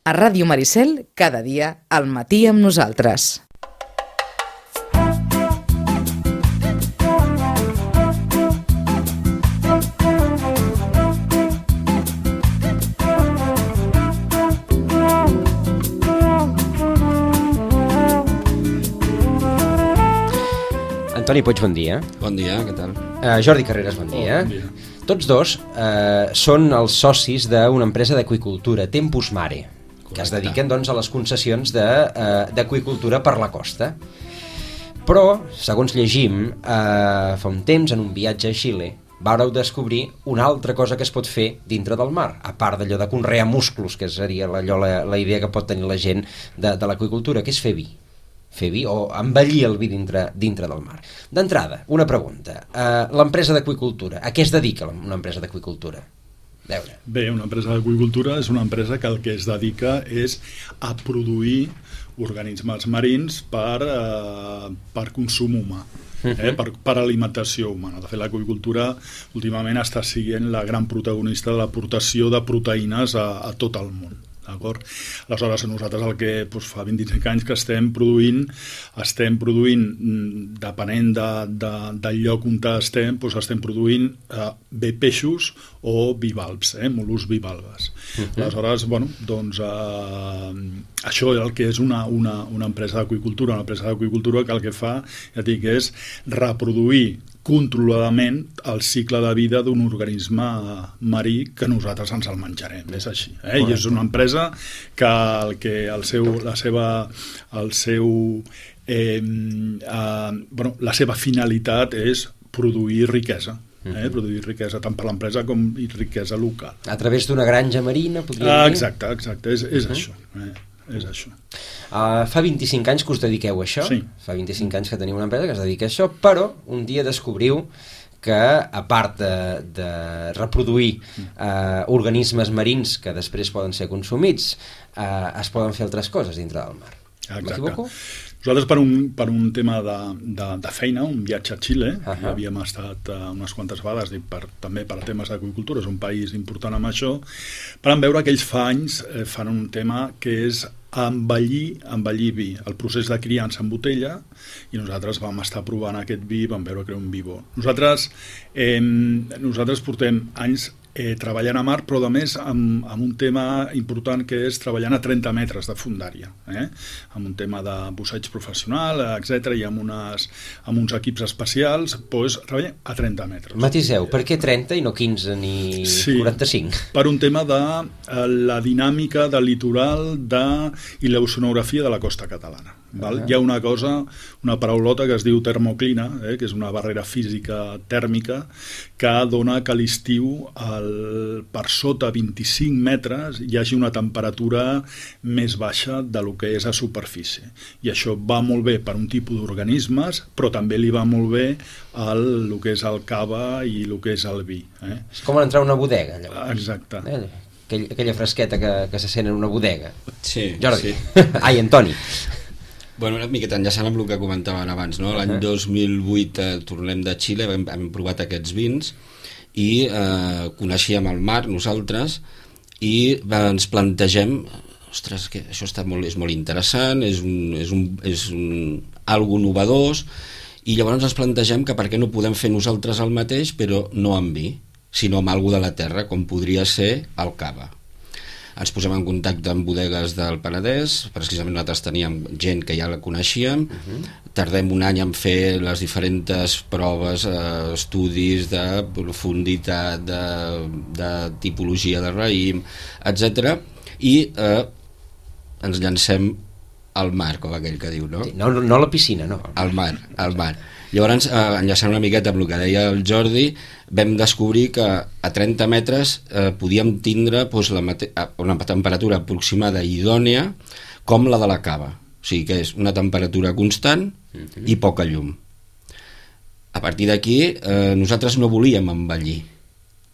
A Ràdio Maricel, cada dia, al matí amb nosaltres. Antoni Puig, bon dia. Bon dia, què tal? Jordi Carreras, bon dia. Bon dia. Tots dos són els socis d'una empresa d'aqüicultura, Tempus Mare, que es dediquen doncs, a les concessions d'aqüicultura per la costa. Però, segons llegim, fa un temps, en un viatge a Xile, vàreu descobrir una altra cosa que es pot fer dintre del mar, a part d'allò de conrear musclos, que seria la idea que pot tenir la gent de l'aqüicultura, que és fer vi. Fer vi o embellir el vi dintre del mar. D'entrada, una pregunta. L'empresa d'aqüicultura, a què es dedica una empresa d'aqüicultura? Bé, una empresa d'aqüicultura és una empresa que el que es dedica és a produir organismes marins per consum humà, per alimentació humana. De fet, l'aqüicultura últimament està sent la gran protagonista de l'aportació de proteïnes a tot el món. D'acord? Aleshores, nosaltres el que fa 25 anys que estem produint, depenent del lloc on estem produint bé peixos o bivalves, mol·luscs bivalves. Aleshores, això és el que és una empresa d'aqüicultura. Una empresa d'aqüicultura que el que fa, ja dic, és reproduir controladament el cicle de vida d'un organisme marí que nosaltres ens el menjarem, és així. I és una empresa que la seva finalitat és produir riquesa. Produir riquesa tant per l'empresa com riquesa local. A través d'una granja marina, podríem dir? Exacte, és això. És això. Fa 25 anys que us dediqueu a això, sí. Fa 25 anys que teniu una empresa que es dedica a això, però un dia descobriu que, a part de reproduir organismes marins que després poden ser consumits, es poden fer altres coses dintre del mar. M'equivoco? Nosaltres per un tema de feina, un viatge a Xile, havíem estat unes quantes vegades, també per temes d'aqüicultura, és un país important amb això, però vam veure que ells fa anys fan un tema que és embellir vi, el procés de criança en botella, i nosaltres vam estar provant aquest vi i vam veure que era un vi bo. Nosaltres portem anys treballant a mar, però a més amb un tema important que és treballant a 30 metres de fondària, amb un tema de busseig professional, etc. i amb uns equips especials, treballem a 30 metres. Matiseu, per què 30 i no 15 ni 45? Per un tema de la dinàmica del litoral i l'oceanografia de la costa catalana. Hi ha una paraulota que es diu termoclina, que és una barrera física tèrmica que dona que a l'estiu per sota 25 metres hi hagi una temperatura més baixa del que és a superfície. I això va molt bé per un tipus d'organismes, però també li va molt bé el que és el cava i el que és el vi. És com entrar a una bodega, llavors. Exacte. Aquella fresqueta que se sent en una bodega. Sí. Jordi. Ai, Antoni. Bueno, una miqueta enllaçant amb el que comentaven abans, no? L'any 2008 tornem de Xile, hem provat aquests vins i coneixíem el mar nosaltres i ens plantegem, ostres, que això és molt interessant, és algo novedós, i llavors ens plantegem que per què no podem fer nosaltres el mateix, però no amb vi, sinó amb algo de la terra, com podria ser el cava. Ens posem en contacte amb bodegues del Penedès, precisament nosaltres teníem gent que ja la coneixíem, tardem un any en fer les diferents proves, estudis de profunditat, de tipologia de raïm, etc. I ens llancem al mar, com aquell que diu, no? No a la piscina, no. Al mar. Llavors, enllaçant una miqueta amb el que deia el Jordi, vam descobrir que a 30 metres podíem tindre una temperatura aproximada i idònia com la de la cava. O sigui que és una temperatura constant i poca llum. A partir d'aquí, nosaltres no volíem embellir,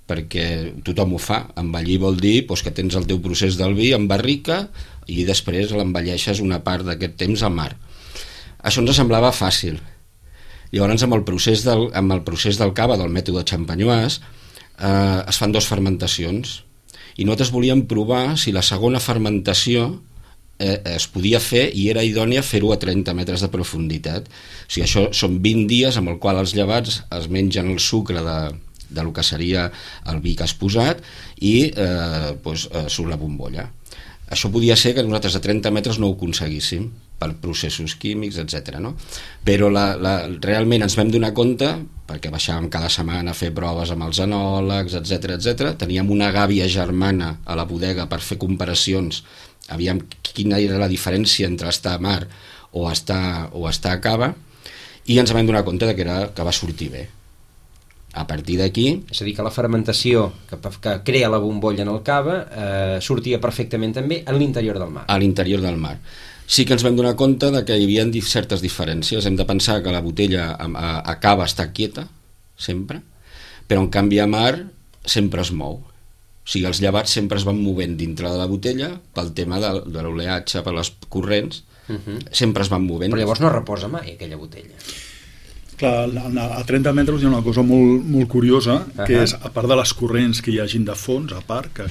perquè tothom ho fa. Embellir vol dir que tens el teu procés del vi en barrica i després l'embelleixes una part d'aquest temps al mar. Això ens semblava fàcil. Llavors, amb el procés del cava, del mètode Champenoise, es fan 2 fermentacions i nosaltres volíem provar si la segona fermentació es podia fer i era idònia fer-ho a 30 metres de profunditat. O sigui, això són 20 dies amb el qual els llevats es mengen el sucre de lo que seria el vi que has posat i surt la bombolla. Això podia ser que nosaltres a 30 metres no ho aconseguíssim per processos químics, etc. No? Però realment ens vam donar compte, perquè baixàvem cada setmana a fer proves amb els enòlegs, etc. Teníem una gàbia germana a la bodega per fer comparacions, aviam quina era la diferència entre estar a mar o estar a cava, i ens vam donar compte que va sortir bé. A partir d'aquí... És a dir, que la fermentació que crea la bombolla en el cava sortia perfectament també a l'interior del mar. A l'interior del mar. Sí que ens vam donar compte de que hi havia certes diferències. Hem de pensar que la botella a cava està quieta, sempre, però en canvi a mar sempre es mou. O sigui, els llevats sempre es van movent dintre de la botella pel tema de l'oleatge, per les corrents, sempre es van movent. Però llavors no reposa mai aquella botella. Clar, a 30 metres hi ha una cosa molt, molt curiosa, que és, a part de les corrents que hi hagin de fons, a part, que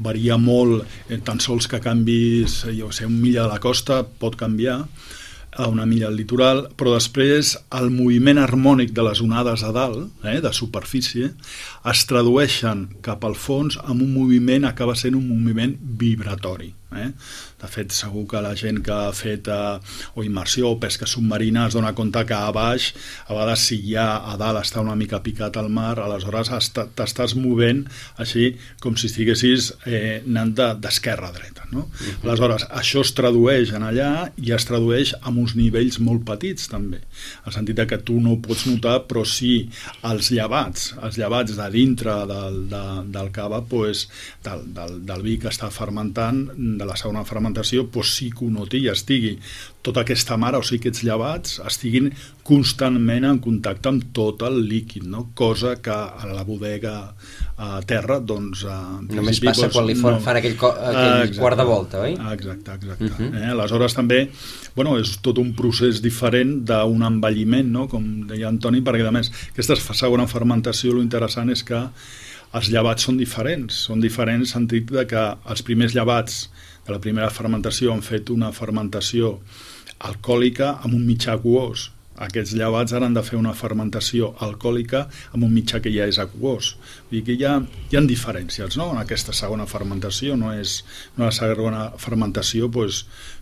varia molt, tan sols que canvis, un milla de la costa pot canviar a una milla al litoral, però després el moviment harmònic de les onades a dalt, de superfície, es tradueixen cap al fons amb un moviment, acaba sent un moviment vibratori. De fet, segur que la gent que ha fet immersió o pesca submarina es dona compte que a baix, a vegades si ja a dalt està una mica picat al mar, aleshores t'estàs movent així com si estiguessis anant d'esquerra a dreta. No? Aleshores, això es tradueix en allà i es tradueix amb uns nivells molt petits també, en el sentit que tu no ho pots notar, però sí els llevats de dintre del cava, del vi que està fermentant, de la segona fermentació, sí que ho noti i estigui tota aquesta mare, o sigui, aquests llevats estiguin constantment en contacte amb tot el líquid, no? Cosa que a la bodega a terra, doncs... Només passa quan li fan aquell quart de volta, oi? Exacte. Aleshores també, és tot un procés diferent d'un envelliment, no? Com deia Antoni, perquè a més aquesta segona fermentació, l'interessant és que els llevats són diferents en el sentit que els primers llevats de la primera fermentació han fet una fermentació alcohòlica amb un mitjà aquós. Aquests llevats ara han de fer una fermentació alcohòlica amb un mitjà que ja és aquós. Vull dir que hi ha diferències, no? En aquesta segona fermentació, no és una segona fermentació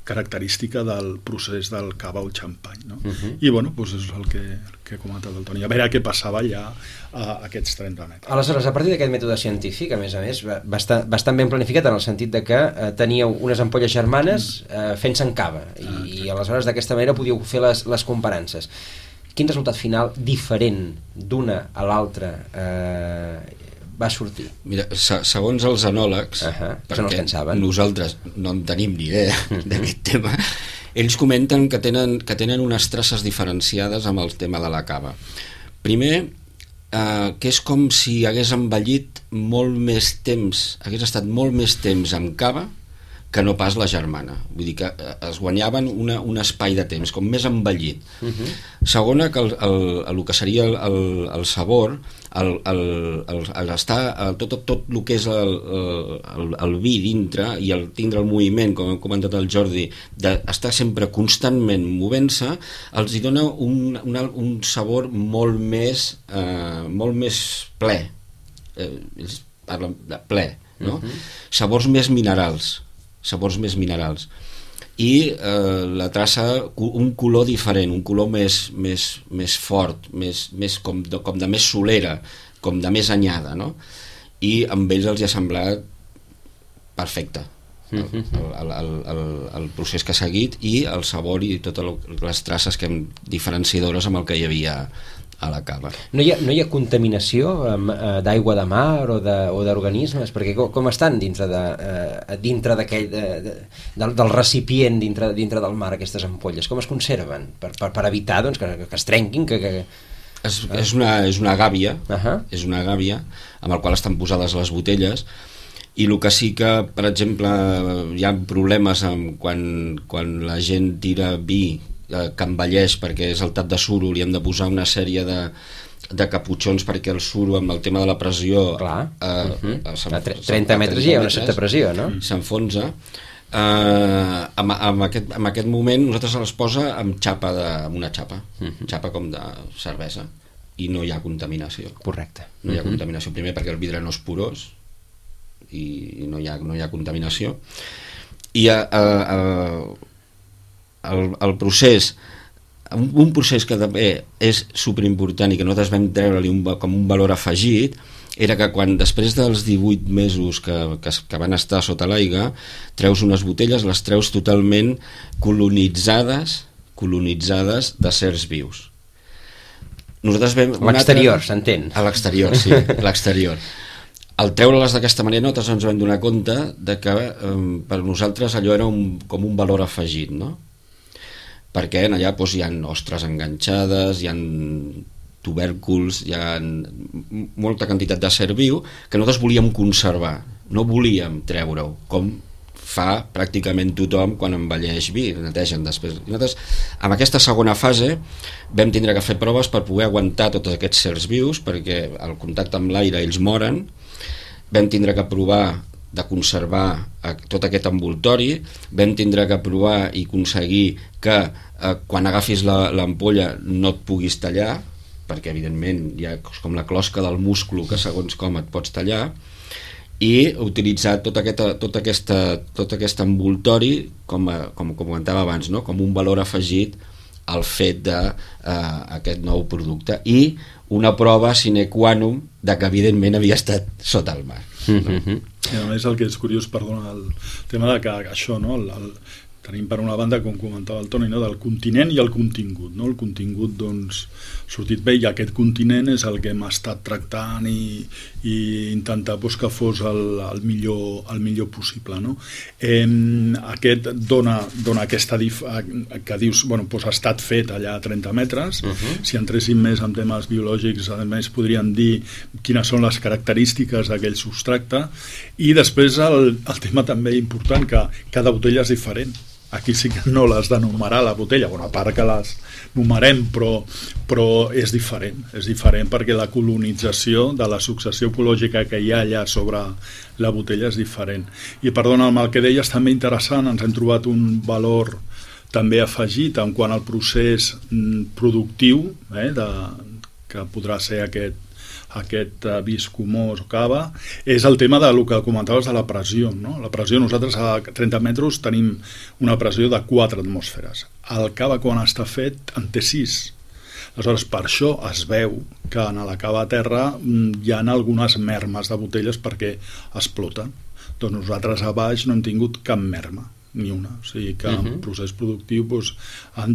característica del procés del cava o el xampany, no? I és el que ha comentat el Toni, a veure què passava allà a aquests 30 metres. Aleshores, a partir d'aquest mètode científic, a més, bastant ben planificat, en el sentit de que teníeu unes ampolles germanes fent-se en cava, i aleshores d'aquesta manera podíeu fer les comparances. Quin resultat final diferent d'una a l'altra va sortir? Mira, segons els enòlegs, perquè nosaltres no en tenim ni idea d'aquest tema, ells comenten que tenen unes traces diferenciades amb el tema de la cava. Primer, que és com si hagués envellit molt més temps, hagués estat molt més temps amb cava que no pas la germana. Vull dir que es guanyaven un espai de temps, com més envellit. Segona, que el que seria el sabor, tot el que és el vi dintre i el tindre el moviment, com ha comentat el Jordi, d'estar sempre constantment movent-se, els hi dona un sabor molt més ple. Ells parlen de ple, no? Sabors més minerals i la traça, un color diferent, un color més fort, més com de més solera, com de més anyada, no? I amb ells els hi ha semblat perfecte el procés que ha seguit i el sabor i totes les traces diferenciadores amb el que hi havia a la cava. No hi ha contaminació d'aigua de mar o d'organismes? Perquè com estan dintre del recipient dintre del mar aquestes ampolles? Com es conserven? Per evitar que es trenquin? És una gàbia, és una gàbia amb el qual estan posades les botelles, i el que sí que, per exemple, hi ha problemes quan la gent tira vi que envelleix perquè és el tap de suro, li hem de posar una sèrie de de caputxons perquè el suro amb el tema de la pressió Clar. A 30 metres hi ha una certa pressió, no? S'enfonsa. En aquest moment nosaltres les posa amb una xapa com de cervesa, i no hi ha contaminació. Correcte. No hi ha contaminació, primer perquè el vidre no és porós i no hi ha contaminació, i el procés, un procés que també és superimportant i que nosaltres vam treure-li com un valor afegit, era que quan després dels 18 mesos que van estar sota l'aigua, treus unes botelles, les treus totalment colonitzades de certs vius. Nosaltres vam... L'exterior, s'entén? A l'exterior, sí, l'exterior. Al treure-les d'aquesta manera, nosaltres ens vam donar compte de que per nosaltres allò era com un valor afegit, no? Perquè allà doncs, hi ha ostres enganxades, hi ha tubèrculs, hi ha molta quantitat de ser viu que nosaltres volíem conservar, no volíem treure-ho, com fa pràcticament tothom quan envelleix vi, netegen després. I nosaltres, en aquesta segona fase, vam tindre que fer proves per poder aguantar tots aquests sers vius, perquè al contacte amb l'aire ells moren. Vam tindre que provar de conservar tot aquest envoltori, vam tindre que provar i aconseguir que quan agafis l'ampolla no et puguis tallar, perquè evidentment hi ha com la closca del múscul que segons com et pots tallar, i utilitzar tot aquest envoltori com comentava abans, no? Com un valor afegit al fet d'aquest nou producte, i una prova sine qua non de que evidentment havia estat sota el mar. I a més el que és curiós, perdona, el tema de que això, no? Tenim per una banda, com comentava el Toni, no? Del continent i el contingut, no? El contingut doncs sortit bé, i aquest continent és el que hem estat tractant i intentar doncs, que fos el millor possible, no? Aquest dona aquesta que dius, bueno, doncs ha estat fet allà a 30 metres. Si entréssim més en temes biològics, a més podríem dir quines són les característiques d'aquell substracte, i després el tema també important, que cada botella és diferent. Aquí sí que no l'has de numerar la botella, bueno, a part que les numerem, però és diferent perquè la colonització de la successió ecològica que hi ha allà sobre la botella és diferent. I perdona, amb el que deies també interessant, ens hem trobat un valor també afegit en quant al procés productiu, que podrà ser aquest vi escumós o cava, és el tema del que comentaves de la pressió, no? La pressió, nosaltres a 30 metres tenim una pressió de 4 atmosferes. El cava, quan està fet, en té 6. Aleshores, per això es veu que en la cava a terra hi ha algunes mermes de botelles perquè exploten. Doncs nosaltres a baix no hem tingut cap merma, ni una. O sigui que en procés productiu doncs,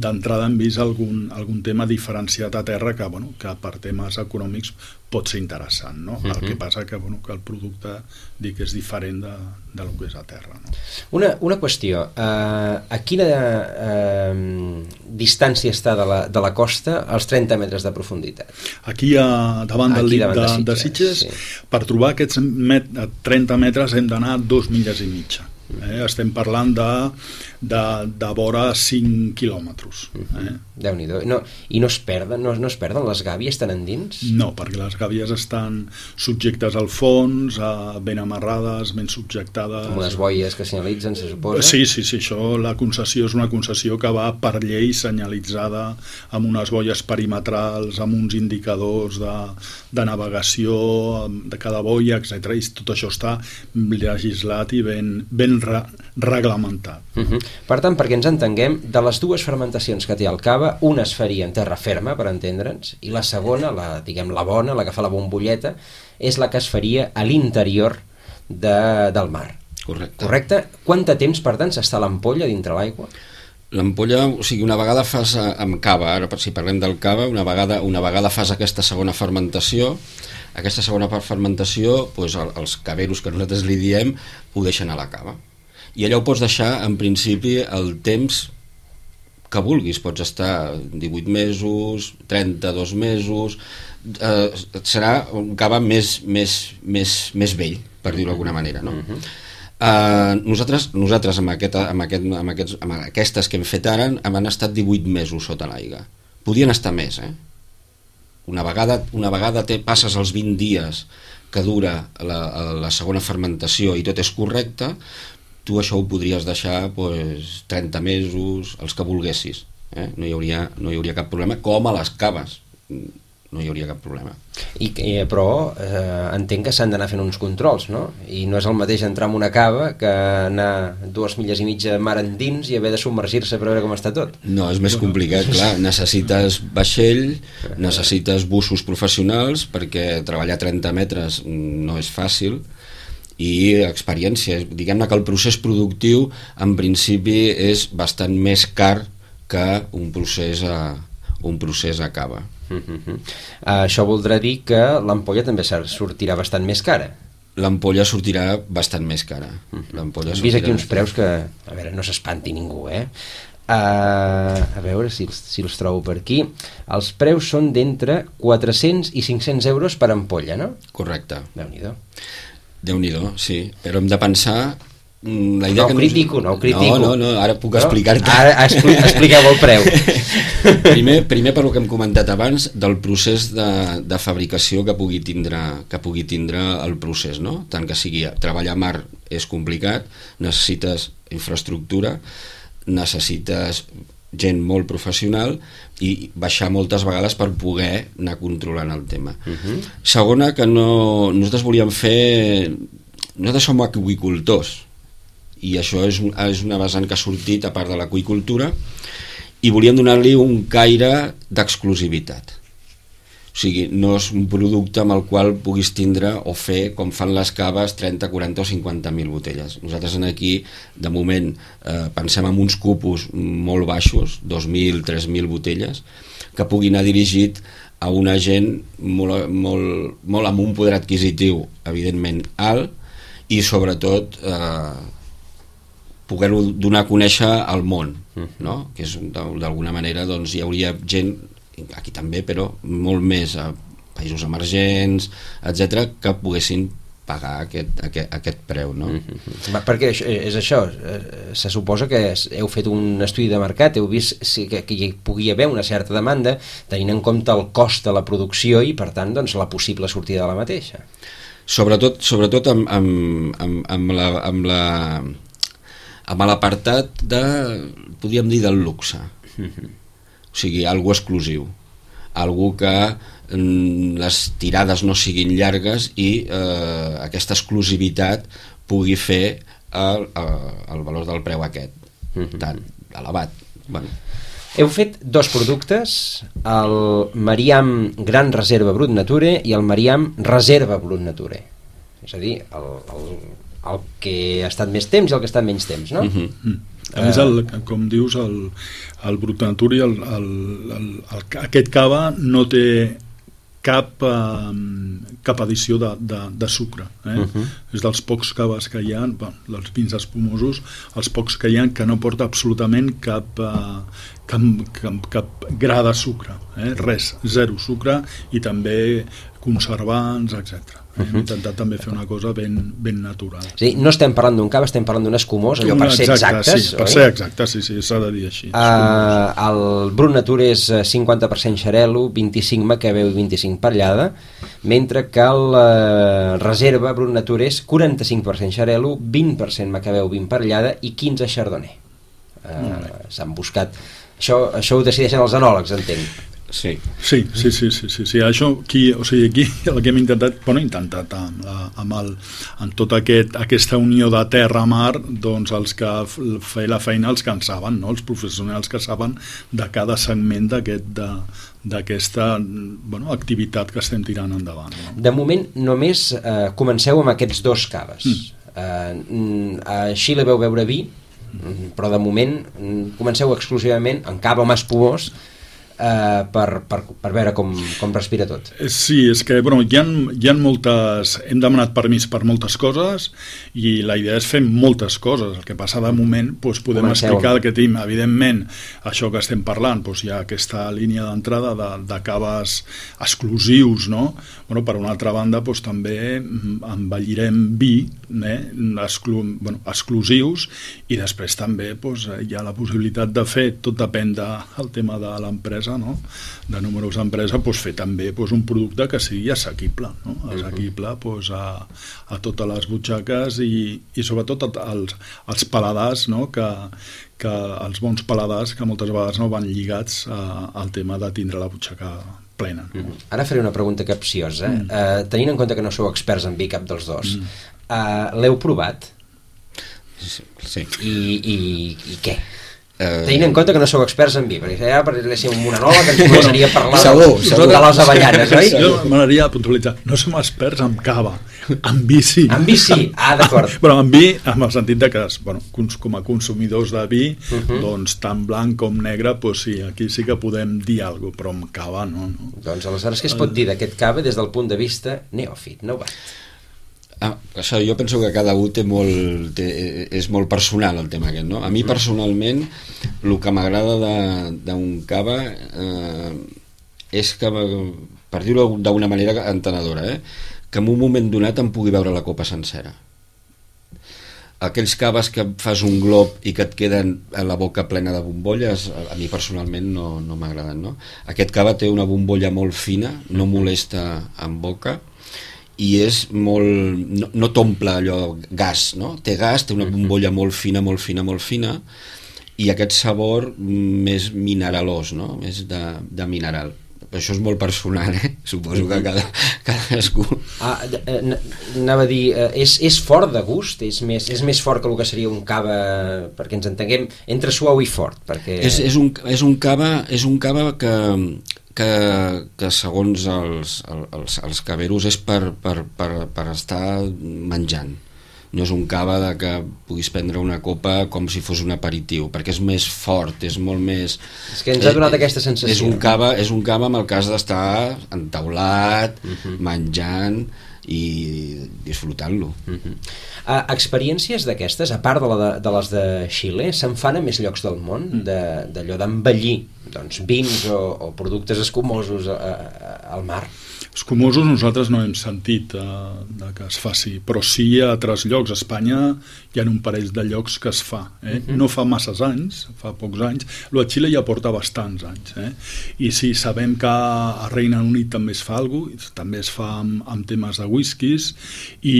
d'entrada hem vist algun tema diferenciat a terra que per temes econòmics pot ser interessant, no? El que passa que el producte és diferent del que és a terra, no? Una qüestió, a quina distància està de la costa als 30 metres de profunditat? Aquí davant del dic de Sitges, sí. Per trobar aquests 30 metres hem d'anar 2 milles i mitja. Estem parlant de vora 5 quilòmetres. Déu-n'hi-do. I no es perden les gàbies tan endins? No, perquè les gàbies estan subjectes al fons, ben amarrades, ben subjectades. Com unes boies que senyalitzen, se suposa? Sí, això, la concessió és una concessió que va per llei senyalitzada amb unes boies perimetrals, amb uns indicadors de navegació de cada boia, etc. I tot això està legislat i ben reglamentat. Per tant, perquè ens entenguem, de les dues fermentacions que té el cava, una es faria en terra ferma, per entendre'ns, i la segona, la bona, la que fa la bombolleta, és la que es faria a l'interior del mar. Correcte? Quant de temps, per tant, s'està l'ampolla dintre l'aigua? L'ampolla, o sigui, una vegada fas amb cava, ara si parlem del cava, una vegada fas aquesta segona fermentació, doncs els caveros que nosaltres li diem ho deixen a la cava. I allà ho pots deixar, en principi, el temps que vulguis. Pots estar 18 mesos, 32 mesos... serà un cava més vell, per dir-ho d'alguna manera, no? Nosaltres amb aquestes que hem fet ara han estat 18 mesos sota l'aigua. Podien estar més, una vegada passes els 20 dies que dura la segona fermentació i tot és correcte, tu això ho podries deixar 30 mesos, els que volguessis. No hi hauria cap problema, com a les caves no hi hauria cap problema. Però entenc que s'han d'anar fent uns controls, no? I no és el mateix entrar en una cava que anar 2 milles i mitja mar endins i haver de submergir-se per veure com està tot. No, és més complicat, clar. Necessites vaixell, necessites bussos professionals, perquè treballar 30 metres no és fàcil, i experiència. Diguem-ne que el procés productiu en principi és bastant més car que un procés a cava. Això voldrà dir que l'ampolla també sortirà bastant més cara. L'ampolla sortirà bastant més cara. Hem vist aquí uns preus que, a veure, no s'espanti ningú, a veure si els trobo per aquí. Els preus són d'entre 400 i 500 euros per ampolla, no? Correcte. Déu-n'hi-do, sí, però hem de pensar la idea no ho critico. No, ara puc explicar-te. Ara expliqueu el preu. Primer per lo que hem comentat abans, del procés de fabricació que pugui tindre el procés, no? Tant que sigui treballar a mar és complicat, necessites infraestructura, necessites gent molt professional i baixar moltes vegades per poder anar controlant el tema. Segona, que nosaltres volíem fer... Nosaltres som aqüicultors, i això és una vessant que ha sortit a part de l'aqüicultura, i volíem donar-li un caire d'exclusivitat. O sigui, no és un producte amb el qual puguis tindre o fer, com fan les caves, 30, 40 o 50.000 botelles. Nosaltres aquí, de moment, pensem en uns cupos molt baixos, 2.000, 3.000 botelles, que pugui anar dirigit a una gent molt amb un poder adquisitiu, evidentment, alt, i sobretot poder-ho donar a conèixer al món, no? Que és d'alguna manera, doncs hi hauria gent, aquí també, però molt més a països emergents, etc, que poguessin pagar aquest preu, no? Perquè és això, se suposa que heu fet un estudi de mercat, heu vist que hi pugui haver una certa demanda, tenint en compte el cost de la producció i, per tant, doncs, la possible sortida de la mateixa. Sobretot amb l'apartat de, podríem dir, del luxe. O sigui, algo exclusiu, algo que les tirades no siguin llargues i aquesta exclusivitat pugui fer el valor del preu aquest tan elevat. Heu fet 2 productes, el Mariam Gran Reserva Brut Nature i el Mariam Reserva Brut Nature, és a dir, el que ha estat més temps i el que ha estat menys temps, no? A més, com dius, el Brut Nature, aquest cava no té cap addició de sucre. És dels pocs caves que hi ha, dels vins espumosos, els pocs que hi ha que no porta absolutament cap gra de sucre. Res, zero sucre, i també conservants, etc. Hem intentat també fer una cosa ben natural. Sí, no estem parlant d'un cava, estem parlant d'un escumós, allò per ser exactes. Sí, per ser exactes, sí, s'ha de dir així. El Brut Nature és 50% xarel·lo, 25 macabeu i 25 perllada, mentre que el Reserva Brut Nature és 45% xarel·lo, 20% macabeu, 20 perllada i 15 chardonnay. S'han buscat... Això ho decideixen els enòlegs, entenc. Sí. Això aquí el que hem intentat, amb tota aquesta unió de terra-mar, doncs els que feien la feina, els que en saben, no? Els professionals que saben de cada segment d'aquesta activitat que estem tirant endavant, no? De moment només comenceu amb aquests 2 caves. A Xile veu beure vi, però de moment comenceu exclusivament en cava amb espumós, per veure com respira tot. Sí, és que hi ha moltes... Hem demanat permís per moltes coses i la idea és fer moltes coses. El que passa de moment, podem explicar el que tenim. Evidentment, això que estem parlant, hi ha aquesta línia d'entrada de caves exclusius, no? Per una altra banda, també envellirem vi exclusius, i després també hi ha la possibilitat de fer, tot depèn del tema de l'empresa, empresa, no? De números d'empresa, doncs fer també un producte que sigui assequible, no? Assequible a totes les butxaques i sobretot als paladars, no? Que els bons paladars que moltes vegades no van lligats al tema de tindre la butxaca plena. No? Ara faré una pregunta capciosa. Tenint en compte que no sou experts en vi cap dels dos, l'heu provat? Sí. I què? Tenint en compte que no sou experts en vi, perquè ja parléssim amb una nova que ens començaria a parlar de les avellanes, oi? Jo m'agradaria puntualitzar, no som experts en cava, en vi sí. En vi sí, d'acord. Però en vi, en el sentit de que com a consumidors de vi, doncs tant blanc com negre, doncs sí, aquí sí que podem dir alguna cosa, però amb cava no. Doncs aleshores què es pot dir d'aquest cava des del punt de vista neòfit, novat? Això jo penso que cada un és molt personal el tema aquest, no? A mi personalment el que m'agrada d'un cava és que, per dir-ho d'una manera entenedora, que en un moment donat em pugui veure la copa sencera. Aquells caves que fas un glob i que et queden a la boca plena de bombolles, a mi personalment no m'agraden, no? Aquest cava té una bombolla molt fina, no molesta en boca, i és molt... no t'omple allò gas, no? Té gas, té una bombolla molt fina, i aquest sabor més mineralós, no? Més de mineral. Això és molt personal, suposo que cadascú... Anava a dir, és fort de gust? És més fort que el que seria un cava, perquè ens entenguem, entre suau i fort? Perquè... És un cava que segons els caveros és per estar menjant. No és un cava que puguis prendre una copa com si fos un aperitiu, perquè és més fort, és molt més... És que ens ha donat aquesta sensació. És un cava amb el cas d'estar entaulat, menjant i disfrutant-lo. Experiències d'aquestes, a part de les de Xile, se'n fan a més llocs del món, d'allò d'envellir vins o productes escumosos al mar? Escumosos nosaltres no hem sentit que es faci, però sí a altres llocs. A Espanya hi ha un parell de llocs que es fa. No fa masses anys, fa pocs anys. Lo de Xile ja porta bastants anys. I sí, sabem que a Regne Unit també es fa alguna cosa, també es fa amb temes de whiskies, i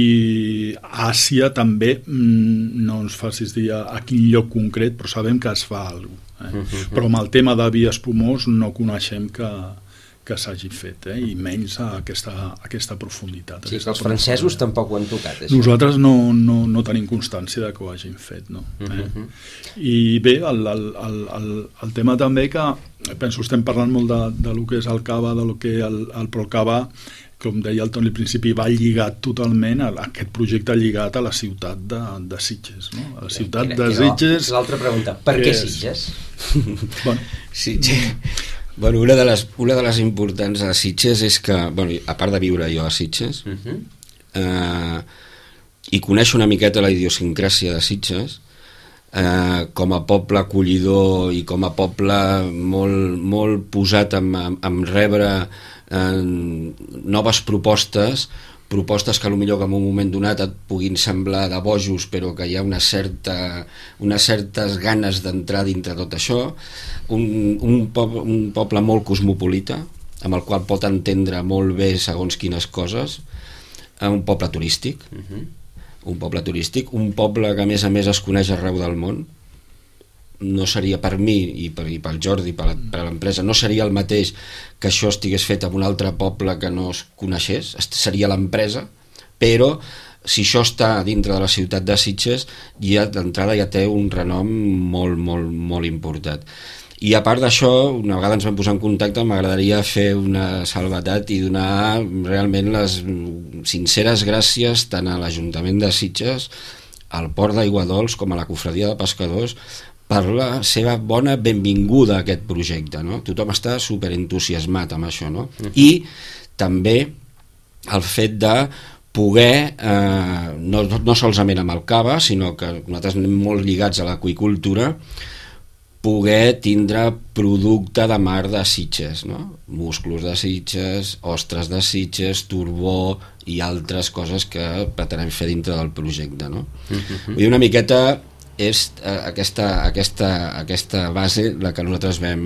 a Àsia també, no ens facis dir a quin lloc concret, però sabem que es fa alguna cosa. Però amb el tema de vi espumós no coneixem que s'hagi fet, i menys a aquesta profunditat. Sí, que els francesos tampoc ho han tocat, això. Nosaltres no tenim constància de que ho hagin fet, no? I bé, el tema també que, penso, estem parlant molt de lo que és el cava, de lo que però el cava, com deia el Toni al principi, va lligat totalment a aquest projecte lligat a la ciutat de Sitges, no? A la ciutat de Sitges... L'altra pregunta, per què Sitges? Sitges... Bueno, una de les importants a Sitges és que, a part de viure jo a Sitges, i conèixer una miqueta la idiosincràsia de Sitges, com a poble acollidor i com a poble molt posat en rebre noves propostes que potser en un moment donat et puguin semblar de bojos, però que hi ha unes certes ganes d'entrar dintre tot això, un poble molt cosmopolita, amb el qual pot entendre molt bé segons quines coses, un poble turístic, un poble que a més es coneix arreu del món. No seria per mi i pel Jordi, per l'empresa, no seria el mateix que això estigués fet en un altre poble que no es coneixés, seria l'empresa, però si això està dintre de la ciutat de Sitges, d'entrada ja té un renom molt, molt, molt important. I a part d'això, una vegada ens vam posar en contacte, m'agradaria fer una salvetat i donar realment les sinceres gràcies tant a l'Ajuntament de Sitges, al Port d'Aiguadols, com a la Cofradia de Pescadors, per la seva bona benvinguda a aquest projecte, no? Tothom està superentusiasmat amb això, no? I també el fet de poder, no solament amb el cava, sinó que nosaltres anem molt lligats a l'aqüicultura, poder tindre producte de mar de Sitges, no? Musclos de Sitges, ostres de Sitges, turbó i altres coses que pretenem fer dintre del projecte, no? Vull dir, una miqueta és aquesta base la que nosaltres vam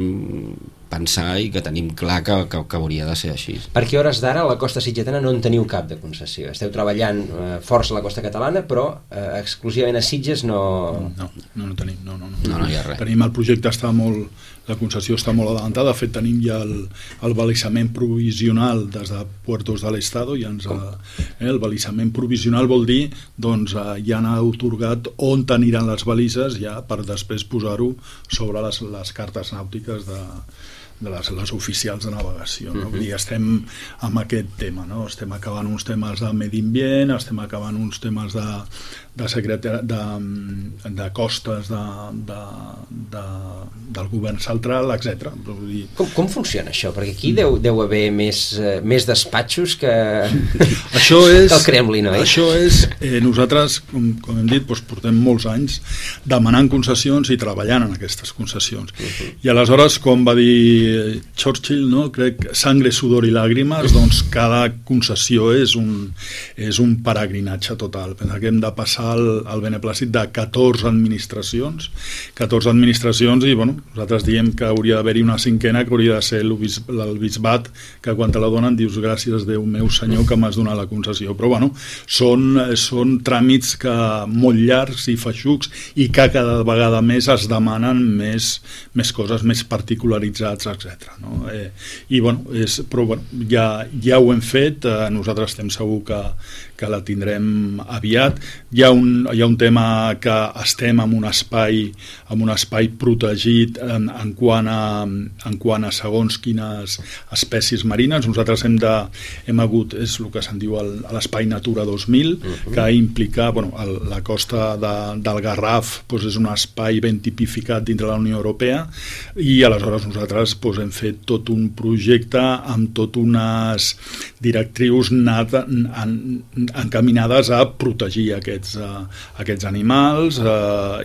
pensar i que tenim clar que hauria de ser així. Perquè a hores d'ara a la costa sitgetana no en teniu cap de concessió. Esteu treballant força a la costa catalana, però exclusivament a Sitges no tenim. No hi ha res. Tenim el projecte, la concessió està molt adelantada. De fet, tenim ja el balisament provisional des de Puertos de l'Estado. El balisament provisional vol dir doncs, ja han atorgat on aniran les balises ja per després posar-ho sobre les cartes nàutiques de les oficials de navegació, no? Vull dir, estem amb aquest tema, no? Estem acabant uns temes de medi ambient, estem acabant uns temes de costes del govern central, etc. Com funciona això? Perquè aquí deu haver més despatxos que el Kremlin, oi? Això és, nosaltres, com hem dit, portem molts anys demanant concessions i treballant en aquestes concessions. I aleshores, com va dir Churchill, no? Crec, sangre, sudor i làgrimes, doncs cada concessió és un peregrinatge total. Pensa que hem de passar el beneplàcit de 14 administracions i nosaltres diem que hauria d'haver-hi una cinquena que hauria de ser el bisbat, que quan te la donen dius gràcies Déu meu senyor que m'has donat la concessió, però són tràmits molt llargs i feixucs i que cada vegada més es demanen més coses, més particularitzats, etc. No? Però ja ho hem fet, nosaltres estem segur que la tindrem aviat. Hi ha un tema que estem en un espai protegit en quant a segons quines espècies marines. Nosaltres hem hagut, és el que se'n diu l'espai Natura 2000, que implica, la costa del Garraf és un espai ben tipificat dintre la Unió Europea, i aleshores nosaltres hem fet tot un projecte amb tot unes directrius encaminades a protegir aquests animals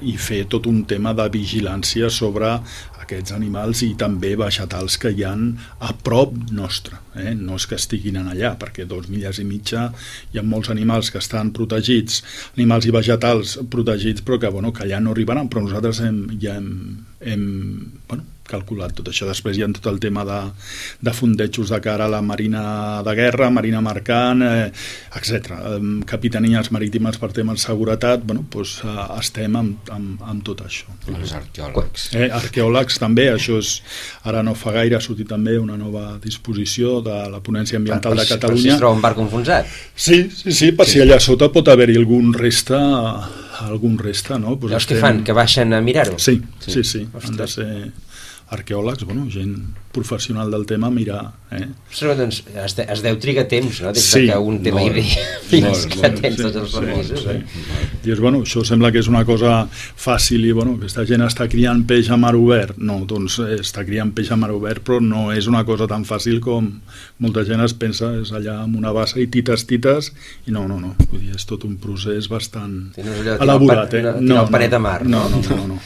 i fer tot un tema de vigilància sobre aquests animals i també vegetals que hi ha a prop nostre. No és que estiguin allà, perquè 2 milles i mitja hi ha molts animals que estan protegits, animals i vegetals protegits, però que allà no arribaran, però nosaltres ja hem calculat tot això. Després hi ha tot el tema de fondejos de cara a la marina de guerra, marina mercant, etc. Capitanies marítimes per temes de seguretat, estem amb tot això. Els arqueòlegs. Arqueòlegs també, això és, ara no fa gaire ha sortit també una nova disposició de la Ponència Ambiental de Catalunya. Per si es troba un barc enfonsat. Sí, per si allà sota pot haver-hi algun resta, no? Llavors què fan? Que baixen a mirar-ho? Sí. Han de ser arqueòlegs, gent professional del tema, mirar. Doncs es deu trigar temps, no? Des que un té la idea fins que tens tots els permisos. Dius, això sembla que és una cosa fàcil i, aquesta gent està criant peix a mar obert. No, doncs està criant peix a mar obert, però no és una cosa tan fàcil com molta gent es pensa, és allà amb una bassa i tites, i no. Vull dir, és tot un procés bastant elaborat. No, el panet a mar. No.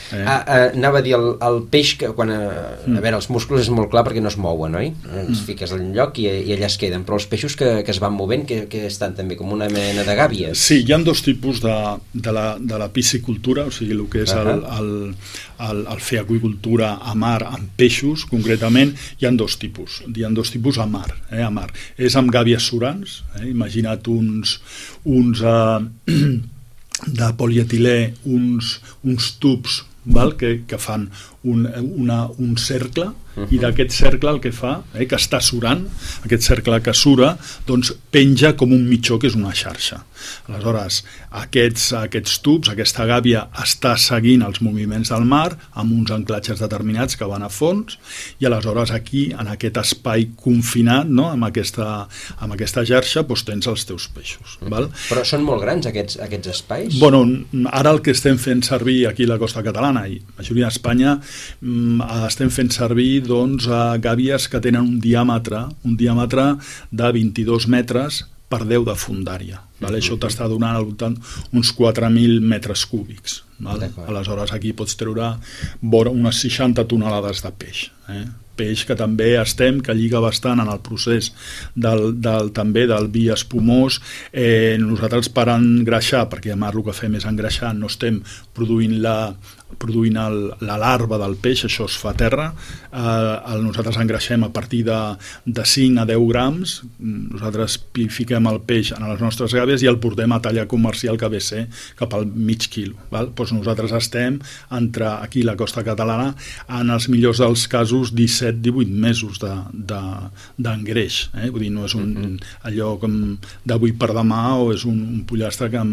Anava a dir, el peix, quan a veure, els músculs és molt clar perquè no es mouen, oi? Es fiques al lloc i allà es queden, però els peixos que es van movent, que estan també com una mena de gàbies. Sí, hi ha dos tipus de la piscicultura, o sigui, el que és el fer aqüicultura a mar amb peixos, concretament, hi ha dos tipus. Hi ha dos tipus a mar. És amb gàbies surants, imagina't uns de polietilè, uns tubs que fan un cercle, i d'aquest cercle el que fa, que està surant, aquest cercle que sura, doncs penja com un mitjó, que és una xarxa. Aleshores, aquests tubs, aquesta gàbia està seguint els moviments del mar amb uns anclatges determinats que van a fons, i aleshores aquí, en aquest espai confinat, no? amb aquesta xarxa, doncs tens els teus peixos. Val? Però són molt grans aquests espais? Ara el que estem fent servir aquí a la costa catalana i la majoria d'Espanya, estem fent servir gàbies que tenen un diàmetre de 22 metres per 10 de fondària. Això t'està donant al voltant uns 4.000 metres cúbics. Aleshores aquí pots treure unes 60 tonelades de peix. Peix que també que lliga bastant en el procés també del vi espumós. Nosaltres per engreixar, perquè a mar el que fem és engreixar, no estem produint produint la larva del peix, això es fa a terra. Nosaltres engreixem a partir de 5 a 10 grams, nosaltres fiquem el peix en les nostres gàbies i el portem a talla comercial que ve ser cap al mig quilo. Val? Doncs nosaltres estem entre aquí la costa catalana en els millors dels casos 17-18 mesos d'engreix. Vull dir, no és allò com d'avui per demà o és un pollastre que en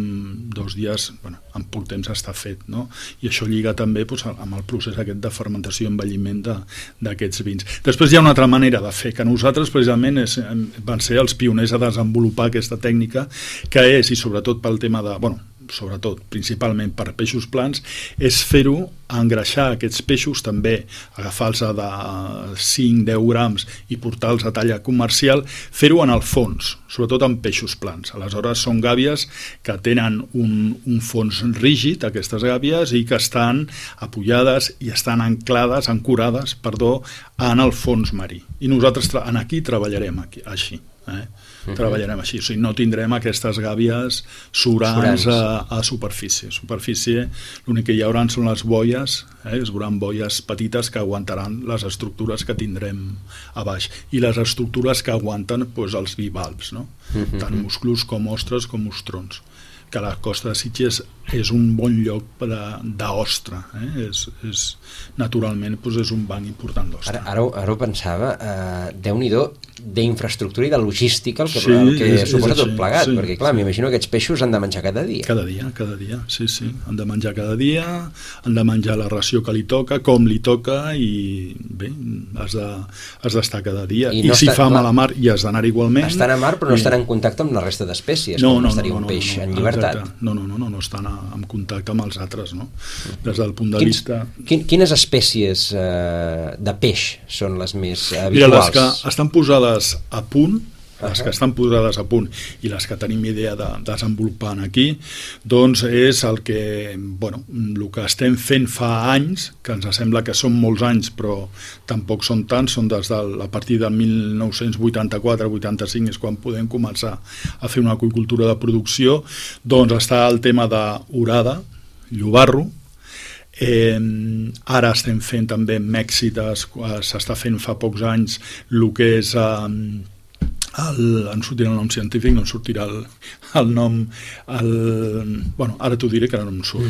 2 dies, en poc temps està fet, no? I això lliga també amb el procés aquest de fermentació i envelliment d'aquests vins. Després hi ha una altra manera de fer, que nosaltres precisament van ser els pioners a desenvolupar aquesta tècnica, que és, i sobretot pel tema de... sobretot, principalment per peixos plans, és fer-ho, engreixar aquests peixos, també agafar-los de 5-10 grams i portar-los a talla comercial, fer-ho en el fons, sobretot en peixos plans. Aleshores són gàbies que tenen un fons rígid, aquestes gàbies, i que estan apoyades i estan ancorades, en el fons marí. I nosaltres aquí treballarem així. Treballarem així, o sigui, no tindrem aquestes gàbies surants a superfície. L'únic que hi haurà són les boies, es veuran boies petites que aguantaran les estructures que tindrem a baix i les estructures que aguanten els bivalves, no? Tant musclos com ostres com ostrons, que la costa de Sitges és un bon lloc d'ostra, naturalment és un banc important d'ostra. Ara ho pensava, Déu-n'hi-do d'infraestructura i de logística el que suposa tot plegat, perquè clar, m'imagino que aquests peixos han de menjar cada dia. Cada dia, sí, han de menjar cada dia, han de menjar la ració que li toca, com li toca, i bé, has d'estar cada dia. I si fa mal a mar hi has d'anar igualment. Estan a mar però no estan en contacte amb la resta d'espècies, com estaria un peix en llibertat. No estan en contacte amb els altres, no? Des del punt de vista... Quines espècies de peix són les més habituals? Mira, les que estan posades a punt, i les que tenim idea de desenvolupar aquí, doncs és el que estem fent fa anys, que ens sembla que són molts anys, però tampoc són tants, són a partir del 1984-85 és quan podem començar a fer una aqüicultura de producció. Doncs està el tema d'orada, llobarro. Ara estem fent també en Mèxic, s'està fent fa pocs anys el que és em sortirà el nom científic, no em sortirà el nom, ara t'ho diré que ara no em surt.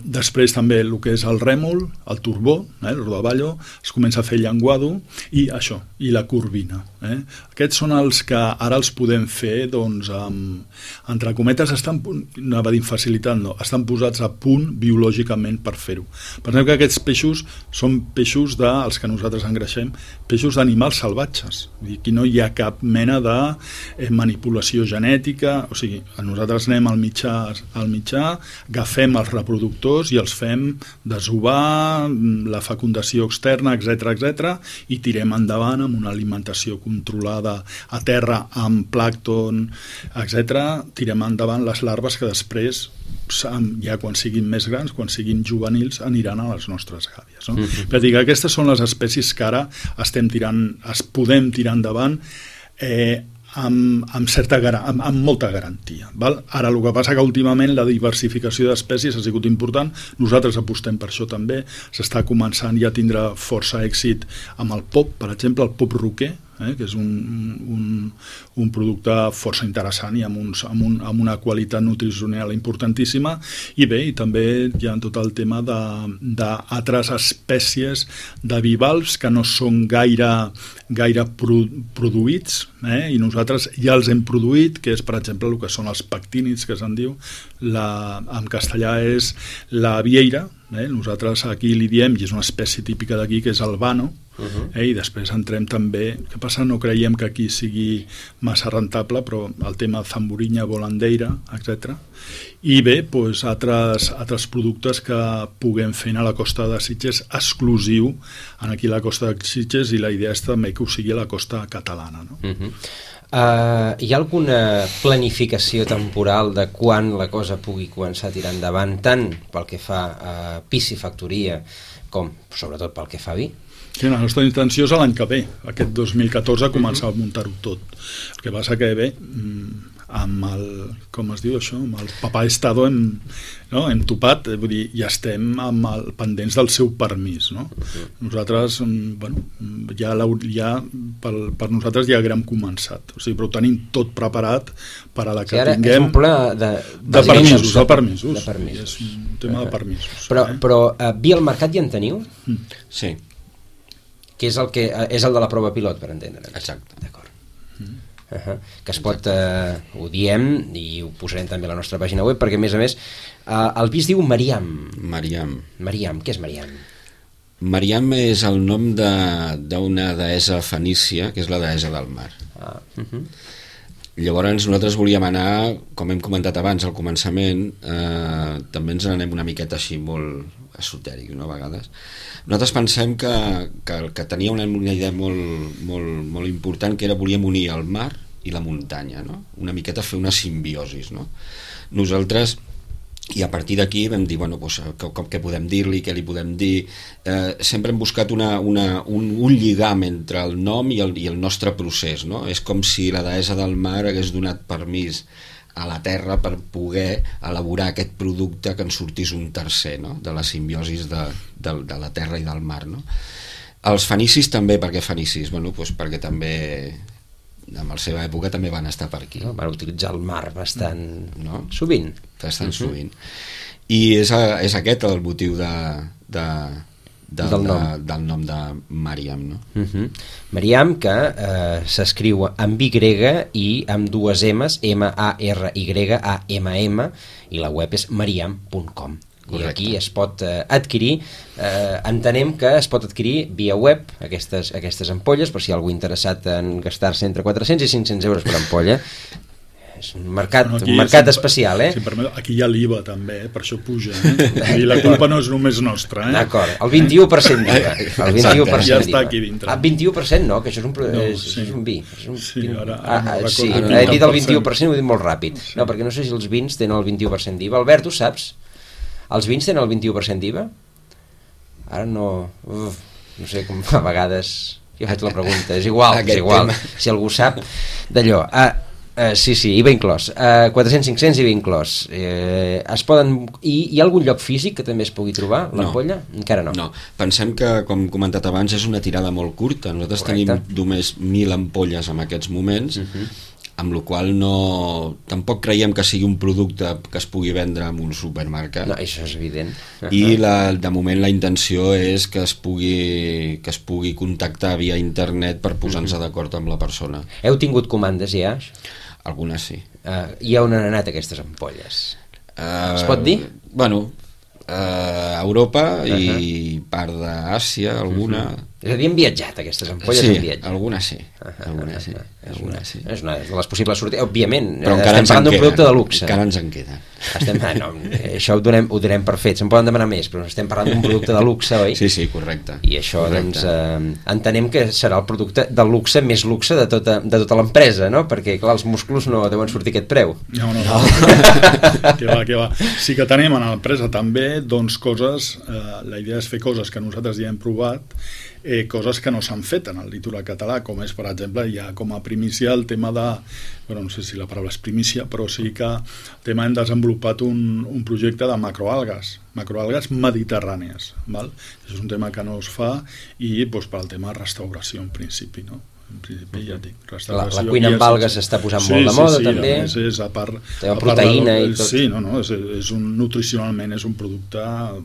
Després també el que és el rèmol, el turbó, el rodaballo, es comença a fer llenguado, i això, i la corvina. Aquests són els que ara els podem fer, doncs, entre cometes, estan posats a punt biològicament per fer-ho. Pensem que aquests peixos són peixos els que nosaltres engreixem, peixos d'animals salvatges. Aquí no hi ha cap mena de manipulació genètica, o sigui, nosaltres anem al mitjà, agafem els reproductors i els fem desovar, la fecundació externa, etc, i tirem endavant amb una alimentació controlada a terra amb plàncton, etc, tirem endavant les larves que després, ja quan siguin més grans, quan siguin juvenils, aniran a les nostres gàbies, no? Per dir que aquestes són les espècies que ara podem tirar endavant amb molta garantia. Ara el que passa que últimament la diversificació d'espècies ha sigut important, nosaltres apostem per això també, s'està començant ja a tindre força èxit amb el pop, per exemple, el pop roquer, que és un producte força interessant i amb una qualitat nutricional importantíssima, i bé, i també hi ha tot el tema d'altres espècies de bivalves que no són gaire produïts, i nosaltres ja els hem produït, que és per exemple el que són els pectínids, que se'n diu, en castellà és la vieira, nosaltres aquí li diem, i és una espècie típica d'aquí, que és el vano, i després entrem també, què passa? No creiem que aquí sigui massa rentable, però el tema zamburinya, volandeira, etc. I bé, doncs, altres productes que puguem fer a la costa de Sitges, exclusiu aquí a la costa de Sitges, i la idea és també que ho sigui a la costa catalana, no? Hi ha alguna planificació temporal de quan la cosa pugui començar a tirar endavant, tant pel que fa a piscifactoria com sobretot pel que fa a vi? Sí, la nostra intenció és l'any que ve, aquest 2014, començar a muntar-ho tot. El que passa que bé, amb el, com es diu això, amb el papà Estado entopat, vull dir, ja estem pendents del seu permís, no? Nosaltres, bueno, per nosaltres ja haguem començat, o sigui, però ho tenim tot preparat per a la que tinguem... És un ple de permisos. És un tema de permisos. Però via al mercat ja en teniu? Sí. Que és el de la prova pilot, per entendre. Exacte. D'acord. Que es pot, ho diem i ho posarem també a la nostra pàgina web, perquè a més el vi es diu Mariam. Mariam, què és Mariam? Mariam és el nom d'una deessa fenícia, que és la deessa del mar. Llavors nosaltres volíem anar, com hem comentat abans al començament, també ens n'anem una miqueta així molt esotèric, no, a vegades. Nosaltres pensem que tenia una idea molt important, que era volíem unir el mar i la muntanya, no? Una miqueta fer una simbiosis, no? Nosaltres, i a partir d'aquí vam dir, bueno, doncs, què podem dir-li, què li podem dir, sempre hem buscat un lligam entre el nom i el nostre procés, no? És com si la deessa del mar hagués donat permís a la terra per poder elaborar aquest producte que en sortís un tercer, no? De la simbiosis de la terra i del mar, no? Els fenicis també, per què fenicis? Bueno, doncs perquè també en la seva època també van estar per aquí, no? Van utilitzar el mar bastant, no? Sovint. Bastant sovint. I és aquest el motiu del nom de Mariam, no? Mariam, que s'escriu amb Y i amb dues M's, M-A-R-Y-A-M-M, i la web és mariam.com. I aquí es pot adquirir, entenem que es pot adquirir via web aquestes ampolles, per si algú interessat en gastar-se entre 400 i 500 euros per ampolla. És un mercat especial, Si aquí hi ha l'IVA també, per això puja, i la culpa no és només nostra. D'acord, el 21% d'IVA. El 21% ja està aquí dintre. 21% no, que això és un vi. Sí, ara he dit el 21%, ho he dit molt ràpid. No, perquè no sé si els vins tenen el 21% d'IVA. Albert, tu saps? Els vins tenen el 21% d'IVA? Ara no sé, com a vegades jo faig la pregunta, és igual, si algú sap d'allò. Sí, IVA inclòs, 400-500 IVA inclòs. Es poden... Hi ha algun lloc físic que també es pugui trobar, l'ampolla? Encara no. No, pensem que, com he comentat abans, és una tirada molt curta. Nosaltres tenim només 1.000 ampolles en aquests moments, amb la qual tampoc creiem que sigui un producte que es pugui vendre en un supermercat. No, això és evident. I de moment la intenció és que es pugui contactar via internet per posar-nos d'acord amb la persona. Heu tingut comandes ja? Algunes sí. I on han anat aquestes ampolles? Es pot dir? Bueno, a Europa i part d'Àsia, alguna... És a dir, han viatjat aquestes ampolles? Sí, algunes sí. Algunes sí. És una de les possibles sortides, òbviament. Però estem parlant d'un producte de luxe. Encara ens en queda. Això ho donem per fet. Se'n poden demanar més, però estem parlant d'un producte de luxe, oi? Sí, correcte. I això, doncs, entenem que serà el producte de luxe més luxe de tota l'empresa, no? Perquè, clar, els músculs no deuen sortir aquest preu. No. Que va. Sí que tenim a l'empresa també, doncs, coses... La idea és fer coses que nosaltres ja hem provat, coses que no s'han fet en el litoral català, com és, per exemple, ja com a primícia el tema de, bueno, no sé si la paraula és primícia, però sí que el tema hem desenvolupat un projecte de macroalgues mediterrànies, val? Això és un tema que no es fa i doncs, per al tema de restauració en principi, no? En principi, ja dic, la cuina amb algues s'està posant molt de moda, també. És a part, proteïna i tot. Sí, nutricionalment és un producte,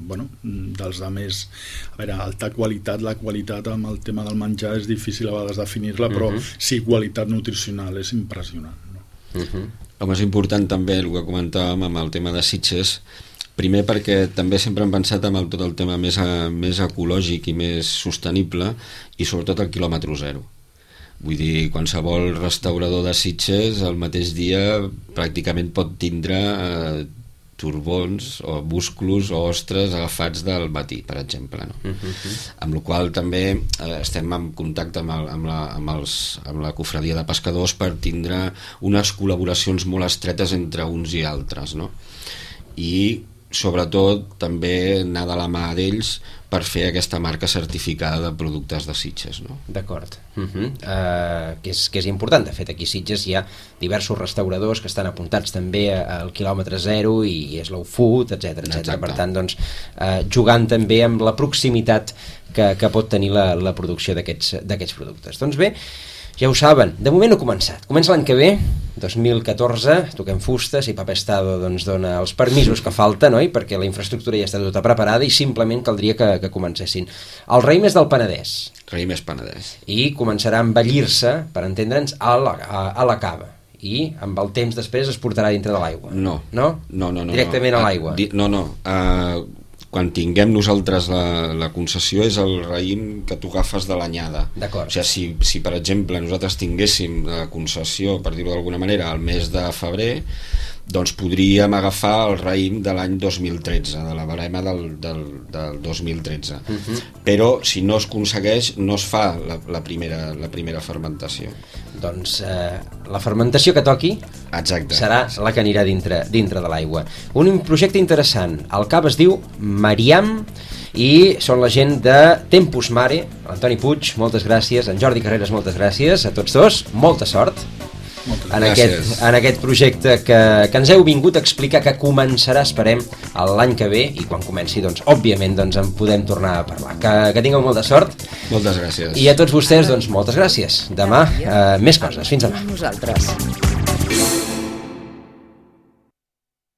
bueno, dels de més, a veure, alta qualitat. La qualitat amb el tema del menjar és difícil a vegades definir-la, però sí, qualitat nutricional és impressionant, no? Home, és important també el que comentàvem amb el tema de Sitges, primer perquè també sempre hem pensat en tot el tema més ecològic i més sostenible, i sobretot el quilòmetre zero. Vull dir, qualsevol restaurador de Sitges el mateix dia pràcticament pot tindre turbons o musclos o ostres agafats del matí, per exemple, no? Amb la qual també estem en contacte amb la cofradia de pescadors per tindre unes col·laboracions molt estretes entre uns i altres, no? I sobretot també anar de la mà d'ells per fer aquesta marca certificada de productes de Sitges, no? D'acord. Que és important. De fet, aquí a Sitges hi ha diversos restauradors que estan apuntats també al quilòmetre zero i Slow Food, etc. Per tant, doncs, jugant també amb la proximitat que pot tenir la producció d'aquests productes. Doncs bé, ja ho saben, de moment no ha començat. Comença l'any que ve, 2014, toquem fusta, si Papa Estado doncs, dona els permisos que falta, no? Perquè la infraestructura ja està tota preparada i simplement caldria que comencessin. El raïm és del Penedès. Raïm és Penedès. I començarà a envellir-se, per entendre'ns, a la cava. I amb el temps després es portarà dintre de l'aigua. No. Directament a l'aigua. Quan tinguem nosaltres la concessió és el raïm que tu agafes de l'anyada. D'acord. O sigui, si per exemple nosaltres tinguéssim la concessió, per dir-ho d'alguna manera, al mes de febrer, doncs podríem agafar el raïm de l'any 2013, de la barema del 2013. Però si no es aconsegueix, no es fa la primera fermentació. Doncs la fermentació que toqui serà la que anirà dintre de l'aigua. Un projecte interessant. El cava es diu Mariam i són la gent de Tempus Mare. Antoni Puig, moltes gràcies. En Jordi Carreras, moltes gràcies. A tots dos, molta sort en aquest projecte que ens heu vingut a explicar, que començarà, esperem, l'any que ve, i quan comenci, doncs, òbviament, doncs, en podem tornar a parlar. Que tingueu molta sort. Moltes gràcies. I a tots vostès, doncs, moltes gràcies. Demà, més coses. Fins demà. Nosaltres.